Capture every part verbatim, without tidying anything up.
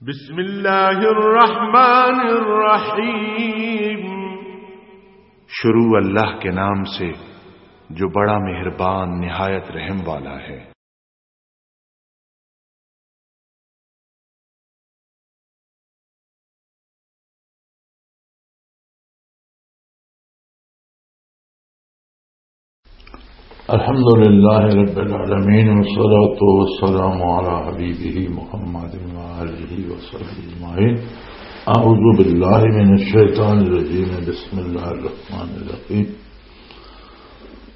بسم اللہ الرحمن الرحیم۔ شروع اللہ کے نام سے، جو بڑا مہربان، نہایت رحم والا ہے۔ الحمد لله رب العالمين، والصلاة والسلام على حبيبه محمد وآله وصحبه أجمعين. أعوذ بالله من الشيطان الرجيم. بسم الله الرحمن الرحيم.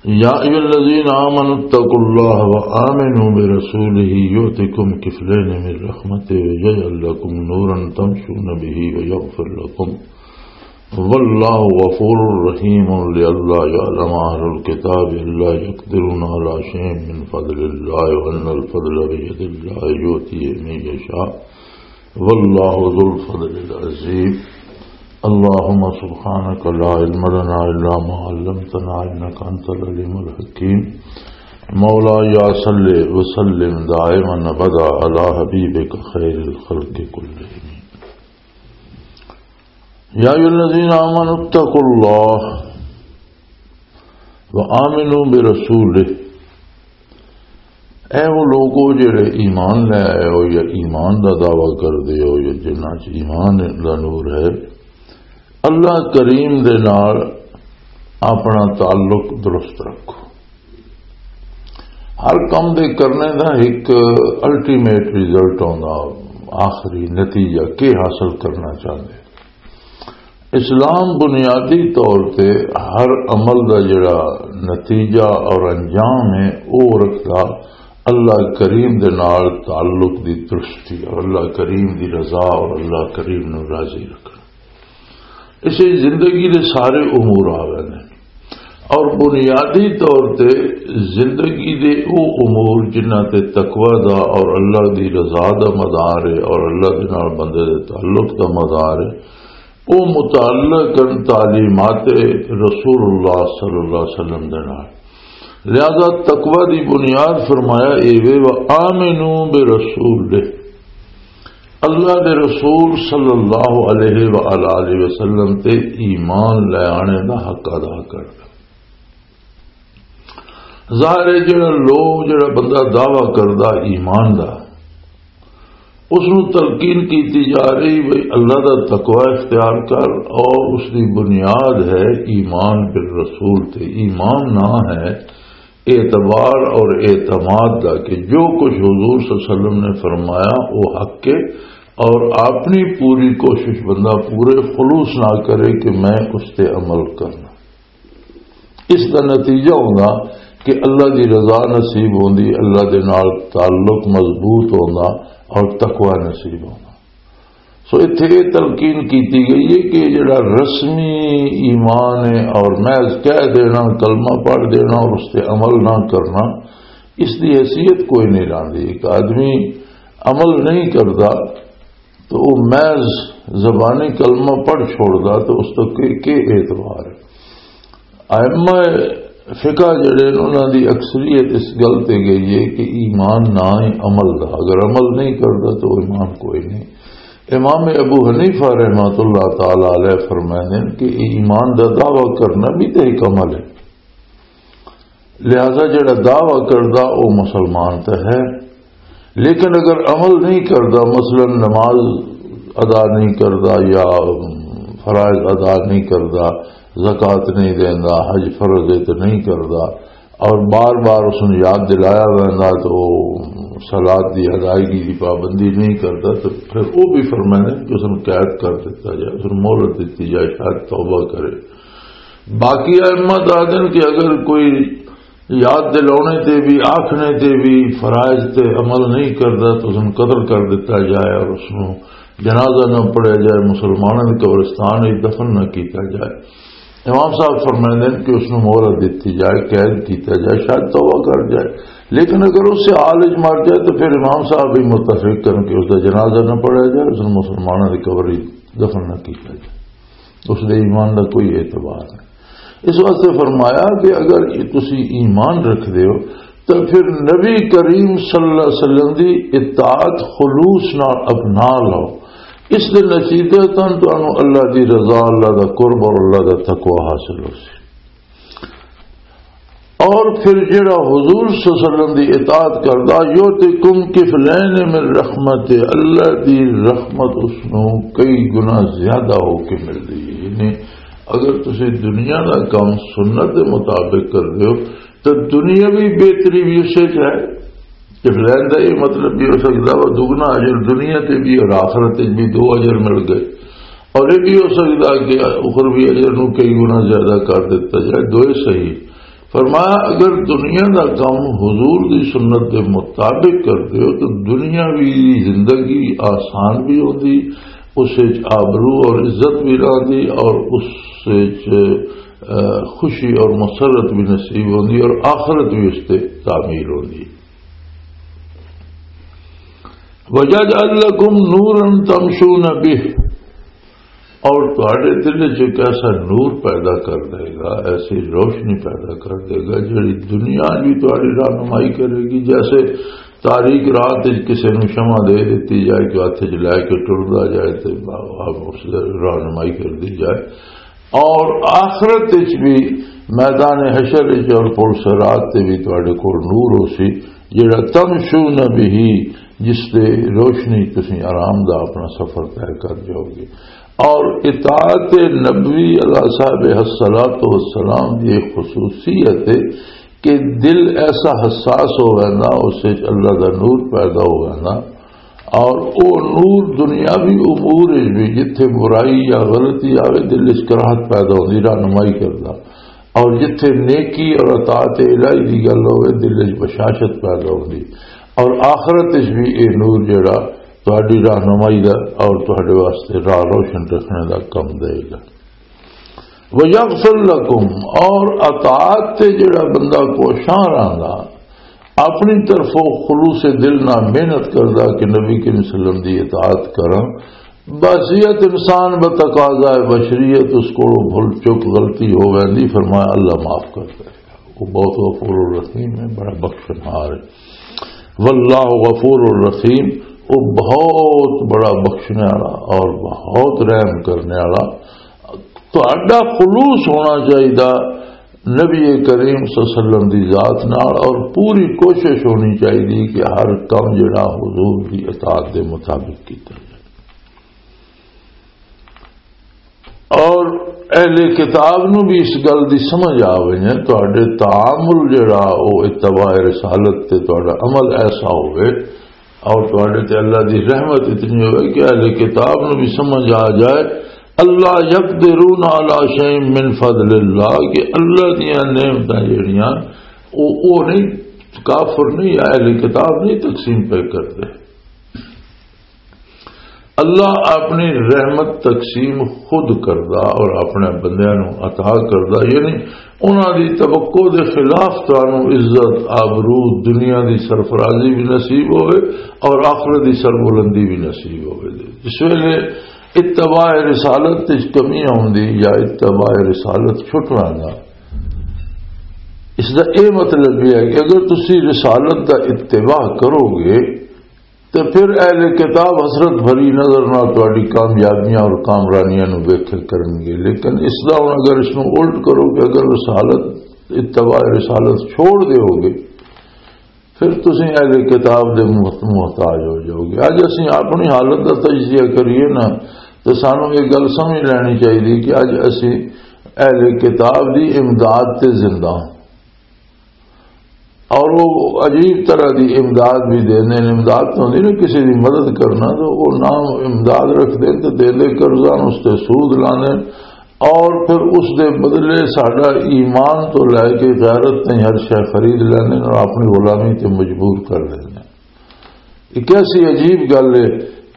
يا أيها الذين آمنوا اتقوا الله وآمنوا برسوله يؤتكم كفلين من رحمته ويجعل لكم نورا تمشون به ويغفر لكم والله غفور رحيم. لئلا يعلم أهل الكتاب ألا يقدرون على شيء من فضل الله وأن الفضل بيد الله يؤتيه من يشاء والله ذو الفضل العظيم. اللهم سبحانك لا علم لنا إلا ما علمتنا إنك أنت العليم الحكيم. مولاي صل وسلم دائما أبدا على حبيبك خير الخلق كلهم. يا أيها الذين آمنوا اتقوا الله وآمنوا برسوله. اے وہ لوگو جڑے ایمان لے آئے ہو یا ایمان دا دعویٰ کر دے ہو یا جنہاں چ ایمان دا نور ہے، اللہ کریم دے نال اپنا تعلق درست رکھو۔ ہر کم دے کرنے دا ایک الٹیمیٹ رزلٹ ہوندا، آخری نتیجہ کی حاصل کرنا چاہندے۔ اسلام بنیادی طور تے ہر عمل دا جڑا نتیجہ اور انجام ہے، او رکھدا اللہ کریم دے نال تعلق دی درستی اور اللہ کریم دی رضا اور اللہ کریم نو راضی رکھنا۔ اسے زندگی دے سارے امور آ گئے نے۔ اور بنیادی طور تے زندگی دے او امور جنہاں تے تقوی دا اور اللہ دی رضا دا مدار ہے اور اللہ دے نال بندے دے تعلق دا مدار ہے، او متعلق ہیں تعلیمات رسول اللہ صلی اللہ علیہ وسلم دے نال۔ لہذا تقوی دی بنیاد فرمایا اے وے، وآمنوا برسولہ، اللہ دے رسول صلی اللہ علیہ وآلہ وسلم تے ایمان لے آنے دا حق ادا کرنا۔ ظاہر ہے جڑا لوگ، جڑا بندہ دعویٰ کردا ایمان دا، اس نو تلقین کیتی جا رہی بھئی اللہ دا تقوی اختیار کر، اور اس دی بنیاد ہے ایمان بالرسول تے۔ ایمان نہ ہے اعتبار اور اعتماد دا کہ جو کچھ حضور صلی اللہ علیہ وسلم نے فرمایا وہ حق ہے، اور اپنی پوری کوشش بندہ پورے خلوص نہ کرے کہ میں اس تے عمل کرنا۔ اس دا نتیجہ ہوندا کہ اللہ دی رضا نصیب ہوندی، اللہ دے نال تعلق مضبوط ہوندا اور تقوی نصیب ہوندا۔ سو اتھے یہ تلقین کیتی گئی ہے کہ جڑا رسمی ایمان ہے اور محض کہہ دینا، کلمہ پڑھ دینا اور اس تے عمل نہ کرنا، اس دی حیثیت کوئی نہیں رہندی۔ ایک آدمی عمل نہیں کردا تو وہ محض زبانی کلمہ پڑھ چھوڑدا تو اس تو کے، کے اعتبار ہے؟ ائمہ فقہ جڑے نے، انہاں دی اکثریت اس گل تے گئی ہے کہ ایمان نہ ہی عمل دا، اگر عمل نہیں کردا تو ایمان کوئی نہیں۔ امام ابو حنیفہ رحمۃ اللہ تعالی علیہ فرمائے ہیں کہ ایمان دا دعویٰ کرنا بھی تے ایک عمل ہے، لہذا جڑا دعویٰ کردا وہ مسلمان تے ہے، لیکن اگر عمل نہیں کردا، مثلاً نماز ادا نہیں کردا یا فرائض ادا نہیں کردا، زکوٰۃ نہیں دیندا، حج فرض ہے تو نہیں کردا، اور بار بار اس نے یاد دلایا ویندا تو وہ صلات دی ادائیگی دی پابندی نہیں کردا، تو پھر وہ بھی فرمائے کہ اس نے قید کر دیتا جائے، اس نے مہلت دیتی جائے، شاید توبہ کرے۔ باقی ائمہ دادن کہ اگر کوئی یاد دلانے تے بھی، آکھنے تے بھی، فرائض تے عمل نہیں کردا تو اس نوں قتل کر دتا جائے اور اس نوں جنازہ نہ پڑھیا جائے، مسلمانوں دے قبرستان وچ دفن نہ کیتا جائے۔ امام صاحب فرمائندے ہیں کہ اس نوں مہلت دتی جائے، قید کیتا جائے، شاید توبہ کر جائے، لیکن اگر اس سے حال وچ مر جائے تو پھر امام صاحب بھی متفق کرن کہ اس دا جنازہ نہ پڑھیا جائے، اس نوں مسلمانوں دی قبر وچ دفن نہ کیتا جائے۔ اس دے ایمان دا کوئی اعتبار نہیں۔ اس واسطے فرمایا کہ اگر تسی ایمان رکھ دے ہو تو پھر نبی کریم صلی اللہ علیہ وسلم دی اطاعت خلوص نال اپنا لو۔ اس دے نتیجے تن تانوں اللہ دی رضا، اللہ دا قرب اور اللہ دا تقوی حاصل ہو سی۔ اور پھر جڑا حضور صلی اللہ علیہ وسلم دی اطاعت کردا، یؤتکم کفلین من رحمت، اللہ دی رحمت اس نوں کئی گنا زیادہ ہو کے ملدی ہے۔ یعنی اگر تسی دنیا دا کام سنت دے مطابق کر دیو تو دنیاوی بہتری بھی اسے چ ہے۔ کفلین دا یہ مطلب بھی ہو سکتا وہ دگنا اجر دنیا تے بھی اور آخرت تے بھی دو اجر مل گئے، اور یہ بھی ہو سکتا کہ اخروی اجر نو کئی گنا زیادہ کر دیتا جائے، دوئے صحیح۔ فرمایا، اگر دنیا دا کام حضور دی سنت دے مطابق کر دیو تو دنیاوی زندگی آسان بھی ہوندی، اس وچ آبرو اور عزت بھی رہندی، اور اس وچ، اہ، خوشی اور مسرت بھی نصیب ہوندی، اور آخرت بھی اس تے تعمیر ہوندی۔ وَيَجْعَلْ لَكُمْ نُورًا تَمْشُونَ بِهِ، اور تہاڈے دل وچ ایک ایسا نور پیدا کر دے گا، ایسی روشنی پیدا کر دے گا، جڑی دنیا بھی تہاڈی رہنمائی کرے گی۔ جیسے تاریک رات وچ کسے نوں شمع دے دتی جائے کہ ہتھ وچ لے کے ٹردا جائے تے آپ اس دی رہنمائی کر دی جائے، اور آخرت وچ بھی میدان حشر وچ اور پل صراط تے بھی تہاڈے کول نور ہو سی، جڑا تمشون بہ، جس تے روشنی تسی آرام دا اپنا سفر طے کر جاؤ گے۔ اور اطاعت نبوی علیہ صاحب الصلوۃ والسلام دی ایک خصوصیت ہے کہ دل ایسا حساس ہو ویندا، اس وچ اللہ دا نور پیدا ہو ویندا، اور او نور دنیاوی امور وچ بھی، جتھے برائی یا غلطی آوے، دل وچ کراہت پیدا ہوندی، رہنمائی کردا، اور جتھے نیکی اور اطاعت الہی دی گل ہوے، دل وچ بشاشت پیدا ہوندی، اور آخرت وچ بھی اے نور جڑا تہاڈی رہنمائی دا اور تہاڈے واسطے راہ روشن رکھنے دا کم دے گا۔ وَيَغْفِرْ لَكُمْ، اور اطاعت تے جڑا بندہ کوشاں رہندا، اپنی طرفوں خلوص دل نہ محنت کردا کہ نبی کریم صلی اللہ علیہ وسلم دی اطاعت کراں، بصیت انسان بتقاضا بشریت اس کو بھول چک غلطی ہو ویندی، فرمایا اللہ معاف کر دے۔ وہ بہت غفور الرحیم ہے، بڑا بخشنہار ہے۔ واللہ غفور الرحیم، وہ بہت بڑا بخشنے والا اور بہت رحم کرنے والا۔ تہاڈا خلوص ہونا چاہیے نبی کریم صلی اللہ علیہ وسلم دی ذات نال، اور پوری کوشش ہونی چاہیے کہ ہر کم جڑا حضور دی اطاعت دے مطابق کیتا جائے۔ اور اہل کتاب نو بھی اس گل دی سمجھ آ وجے، تہاڈے تعامل جڑا او اتباع رسالت تے تہاڈا عمل ایسا ہوئے، اور تہاڈے تے اللہ دی رحمت اتنی ہوئے کہ اہل کتاب نو بھی سمجھ آ جائے، اللہ یقدرون علی شیء من فضل اللہ، کہ اللہ دیاں نعمتاں جڑیاں او، او نہیں، کافر نہیں، اہل کتاب نہیں تقسیم پہ کرتے۔ اللہ اپنی رحمت تقسیم خود کردا اور اپنے بندیاں نوں عطا کردا، یعنی انہاں دی توقع دے خلاف تانوں عزت، آبرو، دنیا دی سرفرازی بھی نصیب ہوئے اور آخرت دی سربلندی بھی نصیب ہوئے۔ جس ویلے اتباع رسالت وچ کمی آوندی یا اتباع رسالت چھٹ ویندا، اس دا اے مطلب یہ ہے کہ اگر تسی رسالت دا اتباع کرو گے، تے پھر اہل کتاب حسرت بھری نظر نال تہاڈی کامیابیاں اور کامرانیاں نوں ویکھیا کرنگے۔ لیکن اس دا ہن اگر اس نوں الٹ کرو کہ اگر رسالت، اتباع رسالت چھوڑ دیو گے، پھر تسی اہل کتاب دے محت-، محتاج ہو جاؤ گے۔ اج اسی اپنی حالت دا تجزیہ کریے نا، تے سانوں یہ گل سمجھ لینی چاہیے کہ اج اسی اہل کتاب دی امداد تے زندہ ہاں۔ اور وہ عجیب طرح دی امداد بھی دیندے نے۔ امداد تو ہوندی نا کسی دی مدد کرنا، تو وہ نام امداد رکھ دے تو دے دے قرضہ، اس تے سود لانے، اور پھر اس دے بدلے ساڈا ایمان تو لے کے غیرت تائیں ہر شے خرید لینے اور اپنی غلامی تے مجبور کر لینے۔ ایک ایسی عجیب گل ہے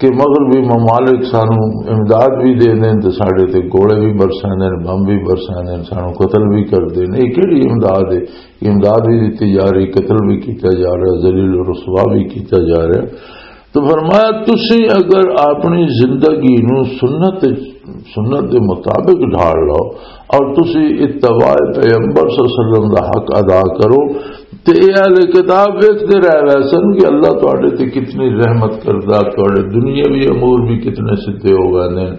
کہ مغربی ممالک سانو امداد بھی دے دیں تے ساڈے تے گوڑے بھی برساندے نے، بم بھی برساندے نے، سانو قتل بھی کردے نے۔ یہ کیڑی امداد ہے؟ امداد بھی دتی جا رہی، قتل بھی کیتا جا رہا، ذلیل و رسوا بھی کیتا جا رہا۔ تو فرمایا، تسی اگر اپنی زندگی نو سنت، سنت دے مطابق ڈھال لو اور تسی اتباع پیغمبر صلی اللہ علیہ وسلم دا حق ادا کرو، تے اے اہل کتاب ویکھدے رہ ویسن کہ اللہ تہاڈے تے کتنی رحمت کردا، تہاڈے دنیاوی امور بھی کتنے سدھے ہو ویندے نے،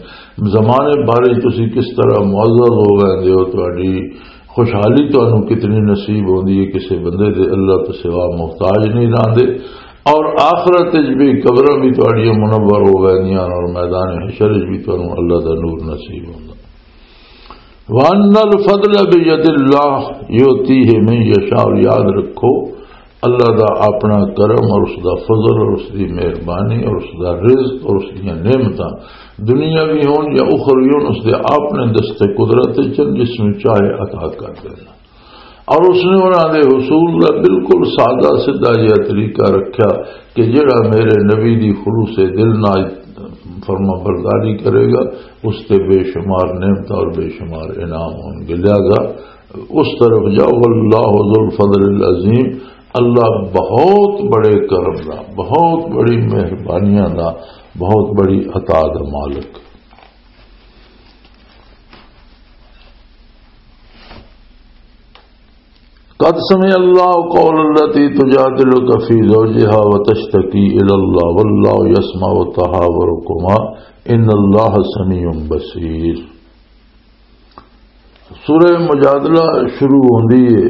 زمانے بارے تسی کس طرح معزز ہو ویندے ہو، تہاڈی خوشحالی تانوں کتنی نصیب ہوندی ہے، کسے بندے دے اللہ تو سوا محتاج نہیں رہندے، اور آخرت وچ بھی قبراں بھی تہاڈیاں منور ہو ویندیاں اور میدان حشر وچ بھی تانوں اللہ دا نور نصیب ہوندا۔ وَأَنَّ الْفَضْلَ بِيَدِ اللَّهِ يُؤْتِيهِ مَن يَشَاءُ، اور یاد رکھو، اللہ دا اپنا کرم اور اس دا فضل اور اس دی مہربانی اور اس دا رزق اور اس دیاں نعمتاں، دنیاوی ہون یا اخروی ہون، اس دے اپنے دست قدرت وچ ہن، جس نوں چاہے عطا کر دینا۔ اور اس نے انہاں دے حصول دا بالکل سادہ سیدھا جہا طریقہ رکھیا کہ جڑا میرے نبی دی خلوص دل نال فرما برداری کرے گا، اس تے بے شمار نعمت اور بے شمار انعام ہون گے۔ لہذا اس طرف جاؤ، واللہ ذو الفضل العظیم، اللہ بہت بڑے کرم دا، بہت بڑی مہربانیاں دا، بہت بڑی عطا دا مالک۔ قد سمع الله قول التي تجادلك في زوجها وتشتكي إلى الله والله يسمع تحاوركما إن الله سميع بصير۔ سورہ مجادلہ شروع ہوندی ہے۔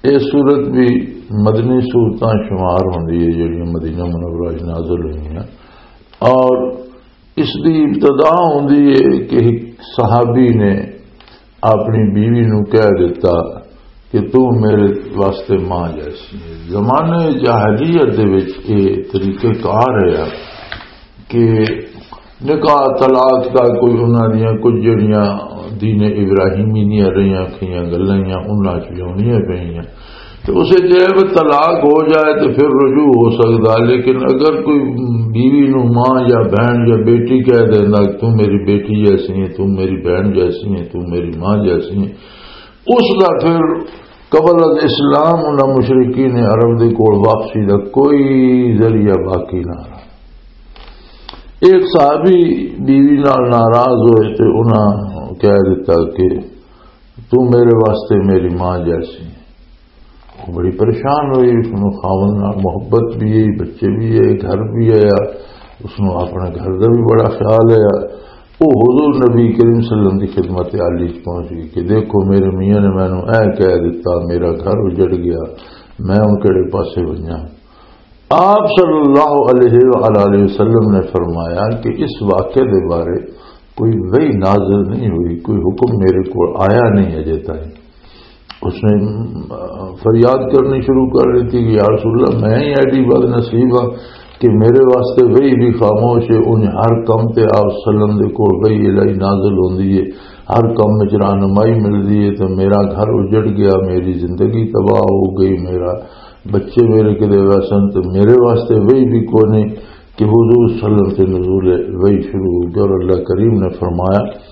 یہ سورت بھی مدنی سورتاں شمار ہوندی ہے، جڑیاں مدینہ منورہ وچ نازل ہوئی ہیں، اور اس دی ابتدا ہوندی ہے کہ ایک صحابی نے اپنی بیوی نو کہہ دیتا کہ تو میرے واسطے ماں جیسی ہے۔ زمانے جاہلیت دے وچ یہ طریقہ کار ہے کہ نکاح طلاق دا کوئی انہاں دیاں کچھ جڑیاں دین ابراہیمی دیاں رہیاں کھیاں گلاں، انہاں چ بھی ہونیاں پئیاں۔ تو اسے جے وہ طلاق ہو جائے تو پھر رجوع ہو سکتا، لیکن اگر کوئی بیوی نو ماں یا بہن یا بیٹی کہہ دینا کہ تم میری بیٹی جیسی ہے، تم میری بہن جیسی ہے، تم میری ماں جیسی ہے، اس دا پھر قبل از اسلام انہاں مشرکین عرب دے کول واپسی دا کوئی ذریعہ باقی نہ رہا۔ ایک صحابی بیوی نال ناراض ہوئے تے انہاں کہہ دیتا کہ تو میرے واسطے میری ماں جیسی ہے۔ وہ بڑی پریشان ہوئی، اس نو خاوند نال محبت بھی ہے، بچے بھی ہے، گھر بھی ہے، اس نو اپنے گھر دا بھی بڑا خیال ہے۔ وہ حضور نبی کریم صلی اللہ علیہ وسلم کی خدمت عالی چ پہنچ گئی کہ دیکھو میرے میاں نے مینوں اے کہہ دیتا، میرا گھر اجڑ گیا، میں ہن کہڑے پاسے ونجاں؟ آپ صلی اللہ علیہ وآلہ وسلم نے فرمایا کہ اس واقعے دے بارے کوئی وحی نازل نہیں ہوئی، کوئی حکم میرے کو آیا نہیں اجے تائیں۔ اس نے، آ، فریاد کرنی شروع کر دیتی کہ یا رسول اللہ، میں ہی ایڈی بد نصیب ہاں کہ میرے واسطے وحی بھی خاموش ہے۔ انہیں ہر کم تے آپ صلی اللہ علیہ وسلم دے کول وحی الہی نازل ہوندی ہے، ہر کم وچ رہنمائی ملدی ہے، تے میرا گھر اجڑ گیا، میری زندگی تباہ ہو گئی، میرا بچے میرے کدے ویسن، تے میرے واسطے وحی بھی کوئی نہیں کہ حضور صلی اللہ علیہ وسلم تے نزول وحی شروع ہو گیا۔ اور اللہ کریم نے فرمایا،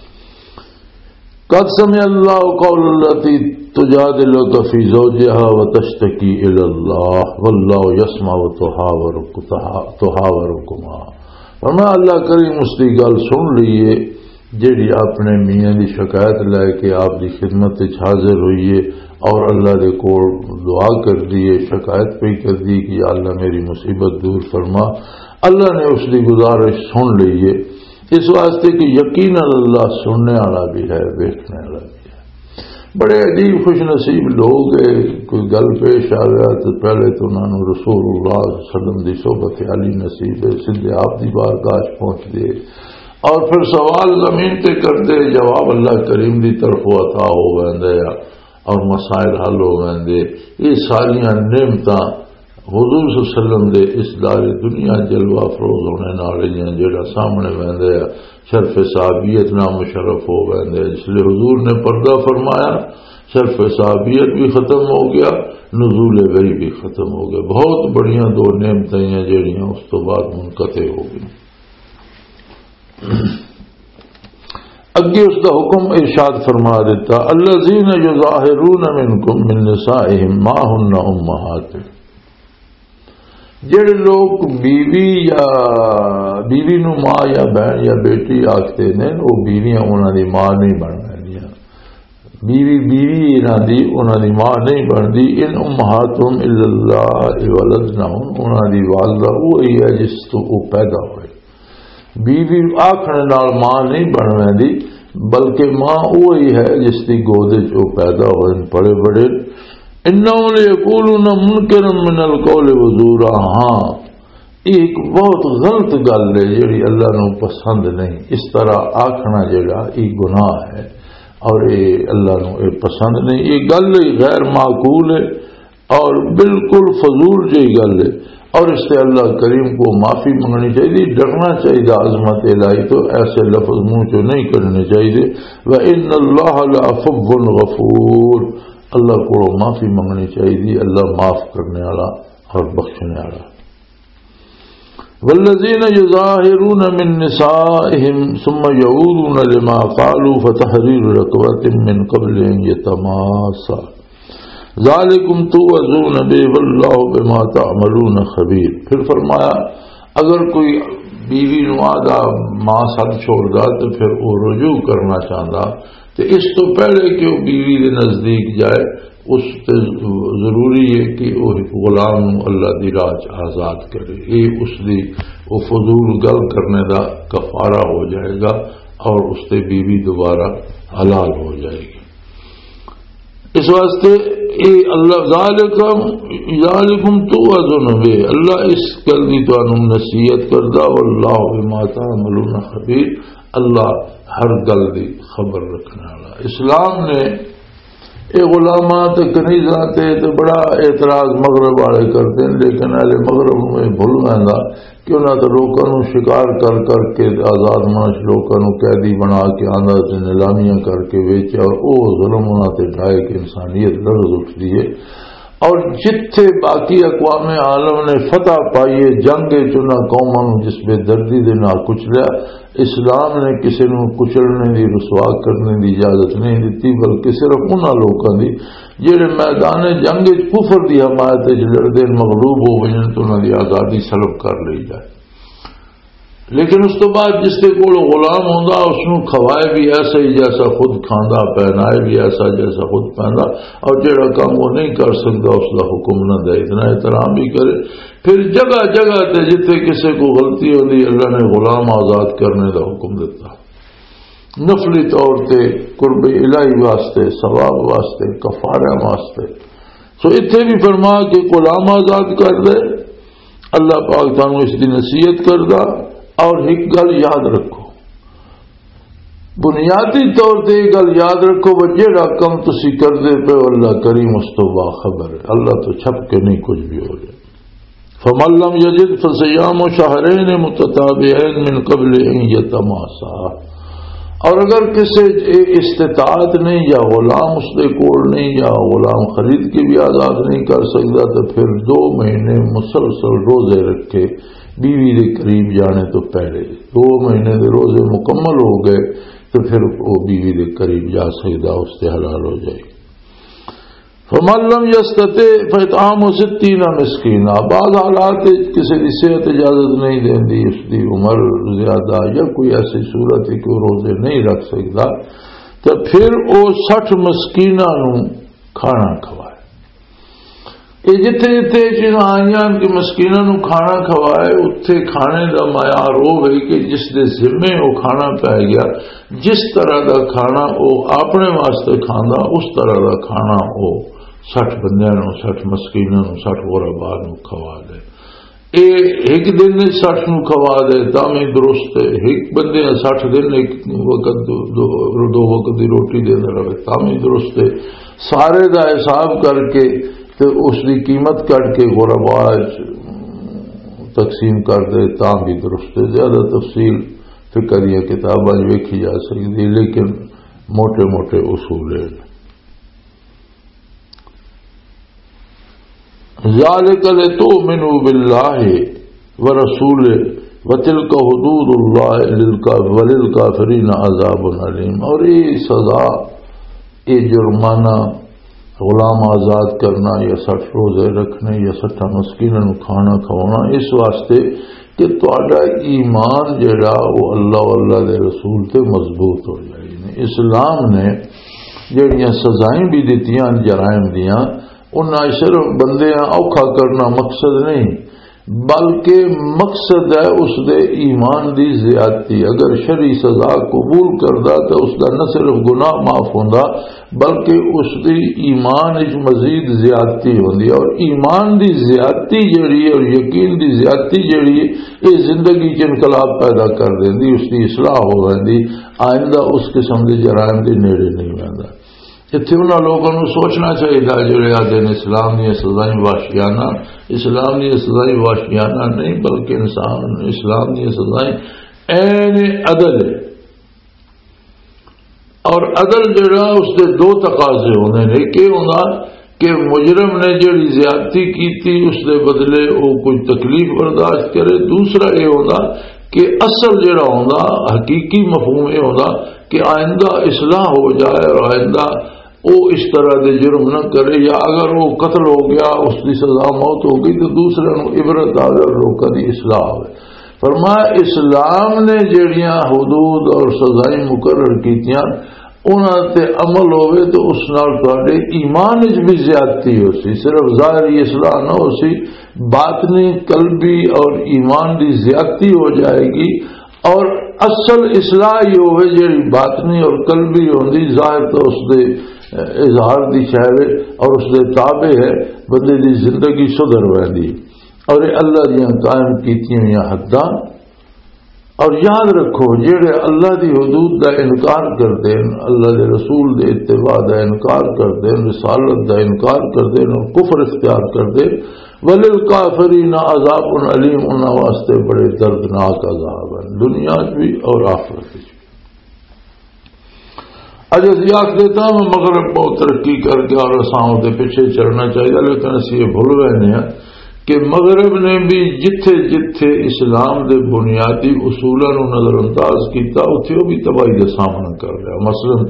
قد سمع الله قول التي تجادلك في زوجها وتشتكي إلى الله والله يسمع تحاورك-، تحا-، تحاوركما۔ فرمایا، اللہ کریم اس دی گل سن لئی ہے جیڑی اپنے میاں دی شکایت لے کے آپ دی خدمت وچ حاضر ہوئی ہے اور اللہ دے کول دعا کر دی ہے، شکایت پہ کر دی کہ یا اللہ میری مصیبت دور فرما۔ اللہ نے اس دی گزارش سن لئی ہے، اس واسطے کہ یقیناً اللہ سننے والا بھی ہے، ویکھنے والا بھی ہے۔ بڑے عجیب خوش نصیب لوگ ہے۔ کوئی گل پیش آ گیا تو پہلے تو انہاں نوں رسول اللہ صلی اللہ علیہ وسلم دی صحبت عالی نصیب ہے، سیدھے آپ دی بارگاہ چ پہنچ دے اور پھر سوال زمین تے کر دے، جواب اللہ کریم دی طرف عطا ہو ویندا ہے اور مسائل حل ہو ویندے۔ یہ ساریاں نعمتاں حضور صلی اللہ علیہ وسلم دے اس دار دنیا جلوہ افروز ہونے نال ہی ہیں، جڑا سامنے ویندا ہے، شرف صحابیت نام مشرف ہو ویندا ہے۔ اس لیے حضور نے پردہ فرمایا، شرف صحابیت بھی ختم ہو گیا، نزول وحی بھی ختم ہو گیا۔ بہت بڑیاں دو نعمتیں ہیں جڑیاں اس تو بعد منقطع ہو گئیں۔ اگے اس دا حکم ارشاد فرما دیتا، الذین یظاہرون منکم من نسائہم ما ہن امہاتہم۔ جڑے لوگ بیوی یا بیوی نو ماں یا بہن یا بیٹی آکھتے نے، وہ بیویاں انہاں دی ماں نہیں بن رہیاں۔ بیوی، بیوی انہاں دی، انہاں دی ماں نہیں بندی۔ ان امہاتہم الا اللہ ولدنہم، انہاں دی والدہ وہی ہے جس تو وہ پیدا ہوئے۔ بیوی آکھنے نال ماں نہیں بن ویندی، بلکہ ماں وہی ہے جس دی گود وچ وہ پیدا ہوئے، پڑے بڑے۔ انہم لیقولون منکرا من القول وزورا۔ ہاں، یہ ایک بہت غلط گل ہے، جڑی اللہ نو پسند نہیں۔ اس طرح آکھنا جڑا، یہ گناہ ہے اور یہ اللہ نو یہ پسند نہیں۔ یہ گل ہی غیر معقول ہے اور بالکل فضول جہی گل ہے، اور اس سے اللہ کریم کو معافی منگنی چاہیے، ڈرنا چاہیے عظمت الہی تو۔ ایسے لفظ منہ چوں نہیں کرنے چاہیے۔ وَإِنَّ اللَّهَ لَعَفُوٌّ غَفُورٌ، اللہ کو معافی منگنی چاہیے، اللہ معاف کرنے والا اور بخشنے والا۔ والذین یظاہرون من نسائہم ثم یعودون لما قالوا فتحریر رقبۃ من قبل ان یتماسا ذالکم توعظون بہ واللہ بما تعملون خبیر۔ پھر فرمایا، اگر کوئی بیوی نو آدھا ماں سد چھوڑدا تے پھر وہ رجوع کرنا چاہندا، تے اس تو پہلے کہ وہ بیوی دے نزدیک جائے، اس تے ضروری ہے کہ وہ ایک غلام نو اللہ دی راہ چ آزاد کرے۔ یہ اس دی وہ فضول گل کرنے دا کفارہ ہو جائے گا اور اس تے بیوی دوبارہ حلال ہو جائے گی۔ اس واسطے اے اللہ، ذالکم، ذالکم توعظون بہ، اللہ اس گل دی تانوں نصیحت کردا، واللہ بما تعملون خبیر، اللہ ہر گل دی خبر رکھنے والا۔ اسلام نے اے غلاماں تے کنیزاں تے، تے بڑا اعتراض مغرب والے کردے نے، لیکن اہل مغرب نوں اے بھل ویندا کہ انہاں تے لوکاں نوں شکار کر کر کے آزاد منش لوکاں نوں قیدی بنا کے آندا تے نیلامیاں کر کے ویچیا، اور او ظلم انہاں تے ڈھائے کہ انسانیت لرز اٹھدی ہے۔ اور جتھے باقی اقوام عالم نے فتح پائی ہے، جنگ وچ انہاں قوماں نوں جس بے دردی دے نال کچلیا، اسلام نے کسے نوں کچلنے دی، رسوا کرنے دی اجازت نہیں دتی، بلکہ صرف انہاں لوکاں دی جڑے میدان جنگ وچ کفر دی حمایت وچ لڑدے نے، مغلوب ہو وجن تے انہاں دی آزادی سلب کر لئی جائے۔ لیکن اس تو بعد جس دے کول غلام ہوندا، اس نوں کھوائے بھی ایسا ہی جیسا خود کھاندا، پہنائے بھی ایسا جیسا خود پہندا، اور جڑا کام وہ نہیں کر سکدا، اس دا حکم نہ دے، اتنا احترام بھی کرے۔ پھر جگہ جگہ تے جتھے کسے کو غلطی ہوندی، اللہ نے غلام آزاد کرنے دا حکم دتا، نفلی طور تے قرب الہی واسطے، ثواب واسطے، کفارہ واسطے۔ سو اتھے بھی فرما کہ غلام آزاد کر دے، اللہ پاک تانوں اس دی نصیحت کردا۔ اور ایک گل یاد رکھو، بنیادی طور تے یہ گل یاد رکھو، وہ جیڑا کم تسی کردے پے ہو، اللہ کریم اس تو باخبر ہے، اللہ تو چھپ کے نہیں کچھ بھی ہو جائے۔ فمن لم یجد فصیام شہرین متتابعین من قبل ان یتماسا، اور اگر کسی اے استطاعت نہیں یا غلام اس دے کول نہیں یا غلام خرید کے بھی آزاد نہیں کر سکتا، تو پھر دو مہینے مسلسل روزے رکھے، بیوی دے قریب جانے تو پہلے۔ دو مہینے دے روزے مکمل ہو گئے تو پھر وہ بیوی دے قریب جا سکتا، اس تے حلال ہو جائے۔ فمن لم یستطع فاطعام ستین مسکینا۔ بعض حالات وچ کسی دی صحت اجازت نہیں دیندی، اس دی عمر زیادہ یا کوئی ایسی صورت ہے کہ وہ روزے نہیں رکھ سکتا، تو پھر وہ سٹھ مسکیناں نوں کھانا کھوائے۔ یہ جتھے جتھے یہ چیزاں آئیاں کہ مسکیناں نوں کھانا کھوائے، اتھے کھانے دا معیار وہ ہوئے کہ جس دے ذمے وہ کھانا پی گیا، جس طرح دا کھانا وہ اپنے واسطے کھاندا، اس طرح دا کھانا وہ سٹھ بندیاں نوں، سٹھ مسکیناں نوں، سٹھ غربا نوں کھوا دے۔ اے ایک دن نے سٹھ نوں کھوا دے تاں وی درست ہے، ایک بندے نے سٹھ دن ایک وقت دو، دو، دو وقت دی روٹی دیندا رہے تاں وی درست ہے۔ سارے دا حساب کر کے تے اس دی قیمت کٹ کے غربا وچ تقسیم کر دے تاں بھی درست ہے۔ زیادہ تفصیل فقہ دیاں کتاباں وچ ویکھی جا سکدی، لیکن موٹے موٹے اصول ہیں۔ ذالک لتؤمنوا باللہ ورسولہ وتلک حدود اللہ للکا-، وللکافرین عذاب علیم۔ اور یہ سزا، یہ جرمانہ، غلام آزاد کرنا یا سٹھ روزے رکھنے یا سٹھا مسکیناں نوں کھانا کھوانا، اس واسطے کہ تہاڈا ایمان جڑا وہ اللہ و اللہ دے رسول تے مضبوط ہو جائے۔ اسلام نے جڑیاں سزائیں بھی دتیاں جرائم دیاں، انہاں صرف بندیاں اوکھا کرنا مقصد نہیں، بلکہ مقصد ہے اس دے ایمان دی زیادتی۔ اگر شرعی سزا قبول کردا تو اس دا نہ صرف گناہ معاف ہوندا، بلکہ اس دی ایمان وچ مزید زیادتی ہوندی ہے، اور ایمان دی زیادتی جڑی ہے اور یقین دی زیادتی جڑی ہے، یہ زندگی چ انقلاب پیدا کر دیندی، اس دی اصلاح ہو ویندی، آئندہ اس قسم دے جرائم دے نیڑے نہیں ویندا۔ اتھے انہاں لوگاں نوں سوچنا چاہیدا جڑے آدھے نے اسلام دیاں سزائیں وحشیانہ، اسلام دیاں سزائیں وحشیانہ نہیں، بلکہ انسان، اسلام دیاں سزائیں عین عدل ہے۔ اور عدل جڑا، اس دے دو تقاضے ہوندے نے۔ ایک یہ ہوندا کہ مجرم نے جڑی زیادتی کیتی، اس دے بدلے وہ کوئی تکلیف برداشت کرے۔ دوسرا یہ ہوندا کہ اصل جڑا ہوندا، حقیقی مفہوم یہ ہوندا کہ آئندہ اصلاح ہو جائے اور آئندہ وہ اس طرح دے جرم نہ کرے، یا اگر وہ قتل ہو گیا، اس کی سزا موت ہو گئی، تو دوسرے نوں عبرت آوے اور لوکاں دی اصلاح ہوئے۔ فرمایا، اسلام نے جڑیاں حدود اور سزائیں مقرر کیتیاں، انہاں تے عمل ہوئے تو اس نال تہاڈے ایمان وچ بھی زیادتی ہو سی۔ صرف ظاہری اصلاح نہ ہو سی، باطنی، قلبی اور ایمان دی زیادتی ہو جائے گی۔ اور اصل اصلاح یہ ہوئے جڑی باطنی اور قلبی ہوندی، ظاہر تو اس دے اظہار دی شے وے اور اس دے تابع ہے، بندے دی زندگی سدھر ویندی۔ اور یہ اللہ دیاں قائم کیتیاں ہوئیاں حداں۔ اور یاد رکھو، جڑے اللہ دی حدود دا انکار کردے ہیں، اللہ دے رسول دے اتباع دا انکار کردے ہیں، رسالت دا انکار کردے ہیں اور کفر اختیار کردے ہیں، وللکافرین عذاب علیم، انہاں واسطے بڑے دردناک عذاب ہیں، دنیا وچ بھی اور آخرت وچ بھی۔ اج اسی آخ دیتا ہاں، مغرب بہت ترقی کر گیا اور اساں دے پیچھے چلنا چاہیے، لیکن اسی یہ بھول گئے ہیں کہ مغرب نے بھی جتھے جتھے اسلام دے بنیادی اصولاں نوں نظر انداز کیتا، اتھے وہ بھی تباہی دا سامنا کر لیا۔ مثلاً،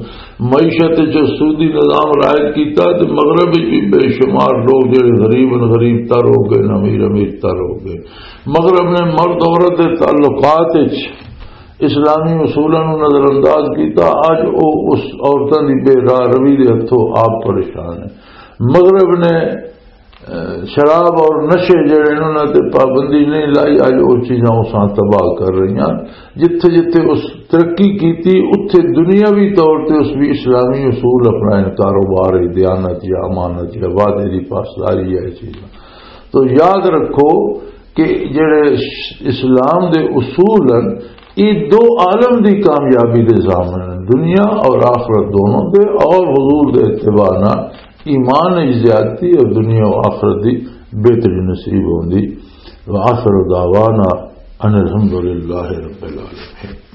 معیشت وچ سودی نظام رائج کیتا تے مغرب وچ بھی بے شمار لوگ جڑے غریب، غریب تر ہو گئے، امیر، امیر تر ہو گئے۔ مغرب نے مرد عورت دے تعلقات وچ اسلامی اصولاں نوں نظر انداز کیتا۔ اج او اس عورتاں دی بے راہ روی دے ہتھوں آپ پریشان ہے۔ مغرب نے، اہ، شراب اور نشے جڑے انہاں تے پابندی نہیں لائی، اج او چیزاں اساں تباہ کر رہیاں۔ جتھے جتھے اس ترقی کیتی، اتھے دنیاوی طور تے اس بھی اسلامی اصول اپنا، کاروبار، دیانت یا امانت یا وعدے دی پاسداری ہے، یہ چیزاں۔ تو یاد رکھو کہ جڑے اسلام دے اصول ہیں، یہ دو عالم دی کامیابی دے ضامن ہیں، دنیا اور آخرت دونوں دے، اور حضور دے اتباع نال ایمان وچ زیادتی اور دنیا و آخرت دی بہتری نصیب ہوندی۔ وآخر دعوانا ان الحمدللہ رب العالمین۔